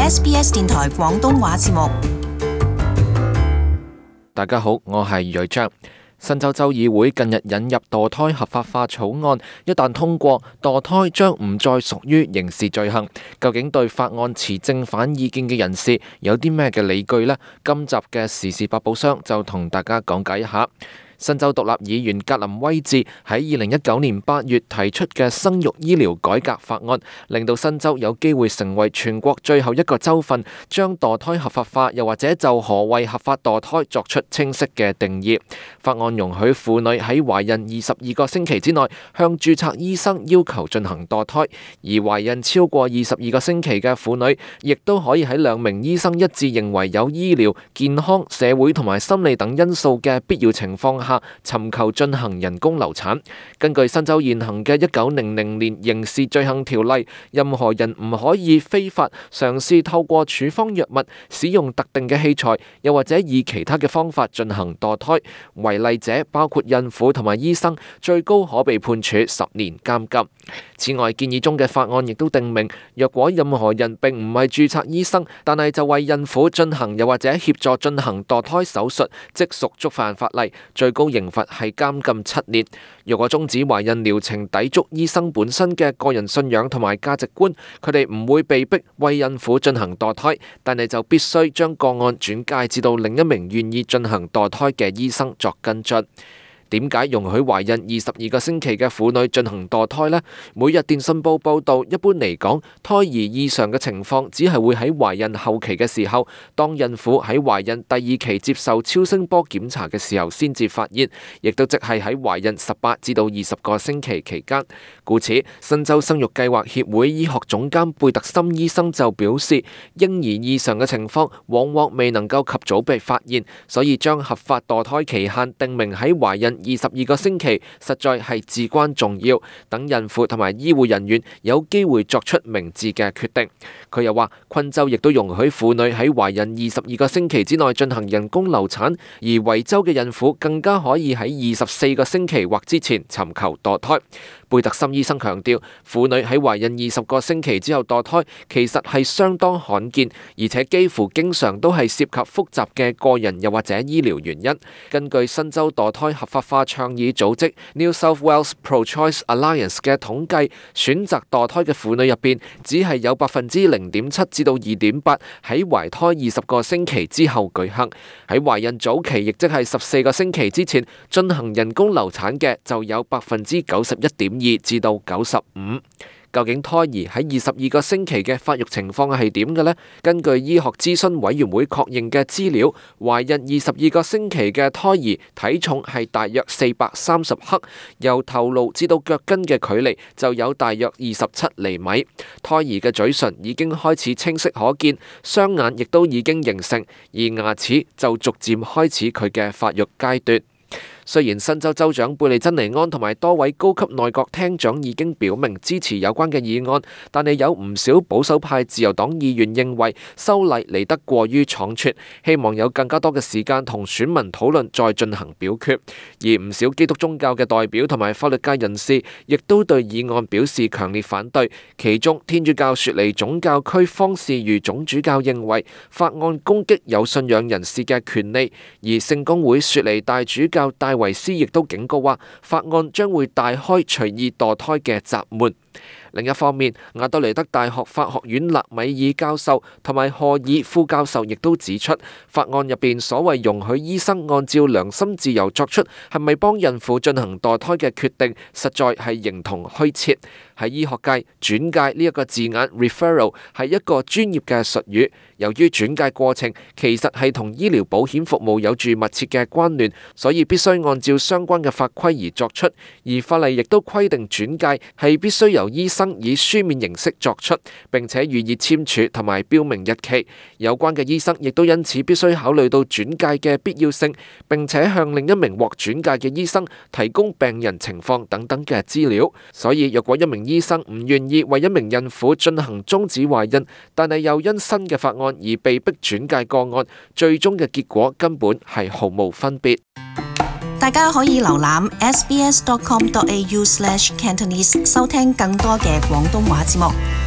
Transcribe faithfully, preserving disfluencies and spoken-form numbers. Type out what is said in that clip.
S B S 電台廣東話節目。大家好，我係瑞章。新州州議會近日引入墮胎合法化草案，一旦通過，墮胎將唔再屬於刑事罪行。究竟對法案持正反意見嘅人士有啲咩嘅理據呢？今集嘅時事百寶箱就同大家講解一下。新州獨立議員格林威治喺二零一九年八月提出嘅生育醫療改革法案，令到新州有機會成為全國最後一個州份將墮胎合法化，又或者就何謂合法墮胎作出清晰嘅定義。法案容許婦女喺懷孕二十二個星期之內向註冊醫生要求進行墮胎，而懷孕超過二十二個星期嘅婦女，亦都可以喺兩名醫生一致認為有醫療、健康、社會同埋心理等因素嘅必要情況下尋求進行人工流產。根據新州現行嘅一九零零年刑事罪行條例，任何人唔可以非法嘗試透過處方藥物、使用特定嘅器材，又或者以其他嘅方法進行墮胎。違例者包括孕婦同埋醫生，最高可被判處十年監禁。此外，建議中嘅法案亦都訂明，若果任何人並唔係註冊醫生，但係就為孕婦進行又或者協助進行墮胎手術，即屬觸犯法例，最高刑罰係監禁七年。若果終止懷孕療程抵觸醫生本身嘅個人信仰同埋價值觀，佢哋唔會被逼為孕婦進行墮胎，但係就必須將個案轉介至到另一名願意進行墮胎嘅醫生作跟進。點解容許懷孕二十二個星期嘅婦女進行墮胎呢？每日電訊報報導，一般嚟講，胎兒異常嘅情況只係會喺懷孕後期嘅時候，當孕婦喺懷孕第二期接受超聲波檢查嘅時候先至發現，亦都即係喺懷孕十八至到二十個星期期間。故此，新州生育計劃協會醫學總監貝特森醫生就表示，嬰兒異常嘅情況往往未能夠及早被發現，所以將合法墮胎期限定明喺懷孕二十二個星期，實在係至關重要，等孕婦同埋醫護人員有機會作出明智嘅決定。佢又話，昆州亦都容許婦女喺懷孕二十二個星期之內進行人工流產，而維州嘅孕婦更加可以喺二十四個星期或之前尋求墮胎。貝特森醫生強調，婦女喺懷孕二十個星期之後墮胎，其實係相當罕見，而且幾乎經常都係涉及複雜嘅個人又或者醫療原因。根據新州墮胎合法化倡議組織 New South Wales Pro-Choice Alliance 嘅統計，選擇墮胎嘅婦女入邊，只係有百分之零點七至到二點八喺懷胎二十個星期之後舉行。喺懷孕早期，亦即係十四個星期之前進行人工流產嘅，就有百分之九十一點二至到九十五。究竟胎兒喺二十二個星期嘅發育情況係點嘅呢？根據醫學諮詢委員會確認嘅資料，懷孕二十二個星期嘅胎兒體重係大約四百三十克，由頭顱至到腳跟嘅距離就有大約二十七厘米。胎兒嘅嘴唇已經開始清晰可見，雙眼亦都已經形成，而牙齒就逐漸開始佢嘅發育階段。雖然新州州長貝利珍尼安同埋多位高級內閣廳長已經表明支持有關嘅議案，但係有唔少保守派自由黨議員認為修例嚟得過於倉促，希望有更加多嘅時間同選民討論再進行表決。而唔少基督宗教嘅代表同埋法律界人士亦都對議案表示強烈反對。其中天主教雪梨總教區方士儒總主教認為法案攻擊有信仰人士嘅權利，而聖公會雪梨大主教戴維斯亦都警告話，法案將會大開隨意墮胎嘅閘門。另一方面，亞德雷德大學法學院納米爾教授同埋賀爾副教授亦都指出，法案入邊所謂容許醫生按照良心自由作出係咪幫孕婦進行墮胎嘅決定，實在係形同虛設。喺醫學界，轉介呢一個字眼 referral 係一個專業嘅術語。由於轉介過程其實係同醫療保險服務有住密切嘅關聯，所以必須按照相關嘅法規而作出。而法例亦都規定轉介係必須由醫生以書面形式作出，並且予以簽署同埋標明日期。有關嘅醫生亦都因此必須考慮到轉介嘅必要性，並且向另一名獲轉介嘅醫生提供病人情況等等嘅資料。所以若果一名醫生唔願意為一名孕婦進行終止懷孕，但係又因新嘅法案而被迫轉介個案，最終嘅結果根本係毫無分別。大家可以瀏覽 s b s dot com dot a u slash cantonese 收聽更多嘅廣東話節目。